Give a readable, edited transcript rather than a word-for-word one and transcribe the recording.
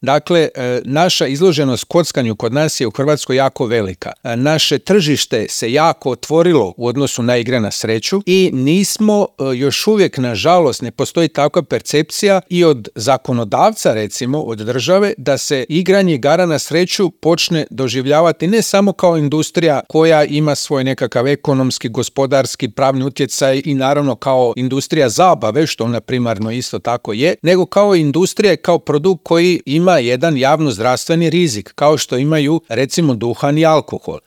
Dakle, naša izloženost kockanju kod nas je u Hrvatskoj jako velika. Naše tržište se jako otvorilo u odnosu na igre na sreću i nismo još uvijek, nažalost, ne postoji takva percepcija i od zakonodavca, recimo, od države, da se igranje igara na sreću počne doživljavati ne samo kao industrija koja ima svoj nekakav ekonomski, gospodarski, pravni utjecaj i naravno kao industrija zabave, što ona primarno isto tako je, nego kao industrija, kao produkt koji ima jedan javno-zdravstveni rizik, kao što imaju recimo duhan i alkohol.